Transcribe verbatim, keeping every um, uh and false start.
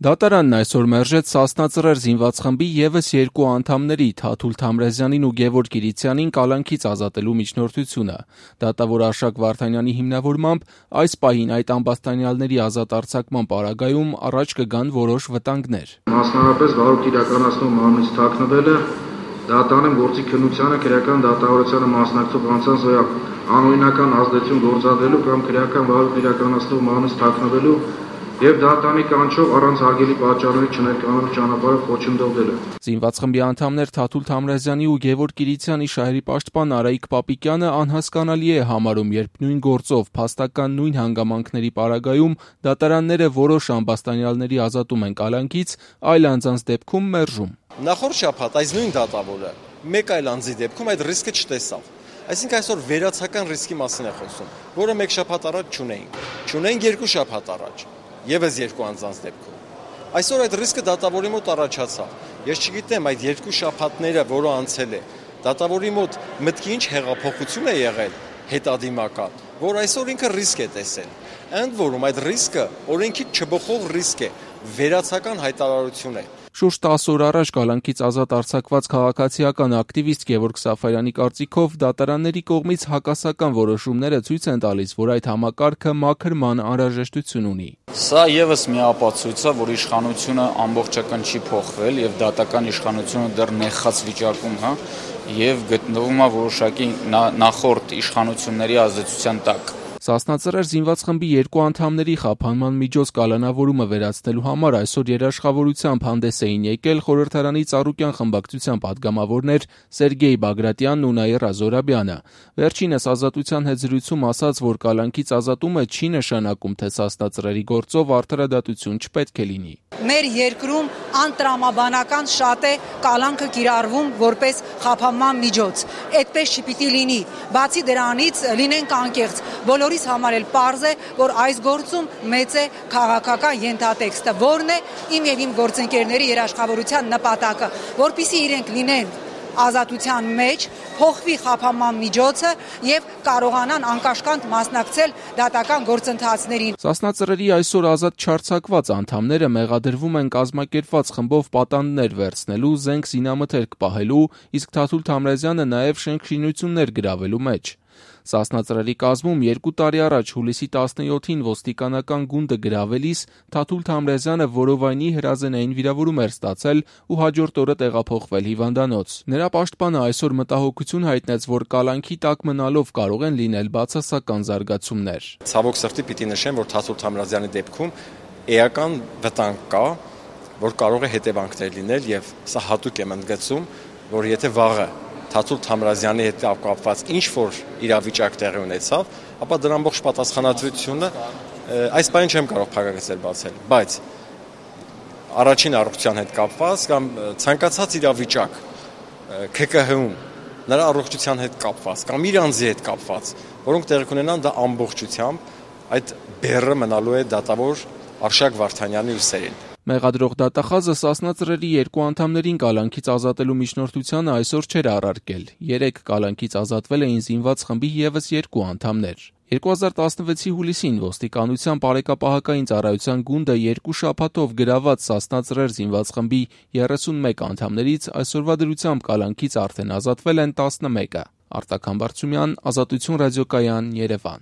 Դատարանն այսօր մերժեց Սասնա Ծռեր զինված խմբի ևս երկու անդամների՝ Թաթուլ Թամրազյանին ու Գևորգ Կիրիցյանին կալանքից ազատելու միջնորդությունը։ Դատավոր Արշակ Վարդանյանի հիմնավորմամբ այս պահին այդ ամբաստանյալների ազատ արձակման պարագայում առաջ կգան որոշ վտանգներ։ Մասնավորապես վարույթ իրականացնող մարմնից թաքնվելը, դատարանում գործի քննությանը քրեական դատավարությանը մասնակցող անձանց վրա անօրինական ազդեցություն գործադրելու կամ քրեական վարույթ իրականացնող մարմնից թաքնվելու եւ դատարանի կանչով առանց հարգելի պատճառների չներկանալու ճանապարհը խոչընդոտելը։ Զինված խմբի անդամներ Թաթուլ Թամրազյանի ու Գևորգ Կիրիցյանի շահերի պաշտպան Արայիկ Պապիկյանը անհասկանալի է համարում, երբ նույն գործով փաստական նույն հանգամանքների պարագայում դատարանները որոշ ամբաստանյալների ազատում են կալանքից, այլ անձանց դեպքում մերժում։ Նախորդ շաբաթ այս նույն դատավորը մեկ այլ անձի դեպքում այդ ռիսկը չտեսավ։ Այսինքն այսօր վերացական ռիսկի մասին է խոսում, որը մեկ շաբաթ առաջ չունեինք։ Չունեինք երկու շաբաթ առաջ, ևս երկու անձանց դեպքում։ Այսօր այդ ռիսկը դատավորի մոտ առաջացավ։ Ես չգիտեմ այդ երկու շաբաթները, որը անցել է, դատավորի մոտ մտքի ինչ հեղափոխություն է եղել հետադիմական, որ այսօր ինքը ռիսկ է տեսել։ Ընդ որում այդ ռիսկը օրենքից չբխող ռիսկ է, վերացական հայտարարություն է։ Շուրջ տասը օր առաջ կալանքից ազատ արձակված քաղաքացիական ակտիվիստ Գևորգ Սաֆարյանի կարծիքով դատարանների կողմից հակասական որոշումները ցույց են տալիս, որ այդ համակարգը մաքրման անհրաժեշտություն ունի։ Սա ևս մի ապացույց է, որ իշխանությունը ամբողջական չի փոխվել եւ դատական իշխանությունը դեռ նեխած վիճակում է եւ գտնվում է որոշակի նախորդ իշխանությունների ազդեցության տակ։ Սասնա Ծռեր զինված խմբի երկու անդամների խափանման միջոց կալանավորումը վերացնելու համար այսօր երաշխավորությամբ հանդես էին եկել խորհրդարանի Ծառուկյան խմբակցության падգամավորներ Սերգեյ Բագրատյանն ու Նաիրա Զորաբյանը։ Վերջինս ազատության հետ զրույցում ասաց, որ կալանքից ազատումը չի նշանակում, թե Սասնա Ծռերի գործով արդարադատություն չպետք է լինի։ Մեր երկրում անտրամաբանական շատ է կալանքը կիրառվում որպես խափանման միջոց։ Այդպես չպիտի լինի։ Բացի դրանից լինենք անկեղծ, բոլորիս համար էլ պարզ է, որ այս գործում մեծ է քաղաքական ենթատեքստը, որն է իմ եւ իմ գործընկերների երաշխավորության նպատակը, որպեսզի իրենք լինեն ազատության մեջ, փոխվի խափանման միջոցը եւ կարողանան անկաշկանդ մասնակցել դատական գործընթացներին։ Սասնա Ծռերի այսօր ազատ չարձակված անդամները մեղադրվում են կազմակերպված խմբով պատանդներ վերցնելու, զենք զինամթերք պահելու, իսկ Թաթուլ Թամրազյանը նաեւ շենք-շինություններ գրավելու մեջ։ Սասնա Ծռերի կազմում երկու տարի առաջ հուլիսի տասնյոթին ոստիկանական գունդը գրավելիս Թաթուլ Թամրազյանը որովայնի հրազենային վիրավորում էր ստացել ու հաջորդ օրը տեղափոխվել հիվանդանոց։ Նրա պաշտպանը այսօր մտահոգություն հայտնեց, որ կալանքի տակ մնալով կարող են լինել բացասական զարգացումներ։ Ցավոք սրտի պիտի նշեմ, որ Թաթուլ Թամրազյանի դեպքում էական վտանգ կա, որ կարող է հետևանքներ լինել եւ սա հատուկ եմ ընդգծում, որ եթե վաղը Թաթուլ Թամրազյանի հետ կապված ինչ որ իրավիճակ տեղի ունեցավ, ապա դրա ամբողջ պատասխանատվությունը այս բանը չեմ կարող փակագծել բացել, բայց առաջին առողջության հետ կապված կամ ցանկացած իրավիճակ K K H-ում նրա առողջության հետ կապված կամ իր անձի հետ կապված, որոնք տեղի կունենան, դա ամբողջությամբ այդ բեռը մնալու է դատավոր Արշակ Վարդանյանի ուսերին։ Մեղադրող դատախազը Սասնա Ծռերի երկու անդամներին կալանքից ազատելու միջնորդությանը այսօր չէր առարկել։ Երեկ կալանքից ազատվել էին զինված խմբի ևս երկու անդամներ։ երկու հազար տասնվեցի հուլիսին ոստիկանության բարեկապահական ծառայության գունդը երկու շաբաթով գրաված Սասնա Ծռեր զինված խմբի երեսունմեկ անդամներից այսօրվա դրությամբ կալանքից արդեն ազատվել են տասնմեկը։ Արտակ Համբարձումյան, Ազատություն ռադիոկայան, Երևան։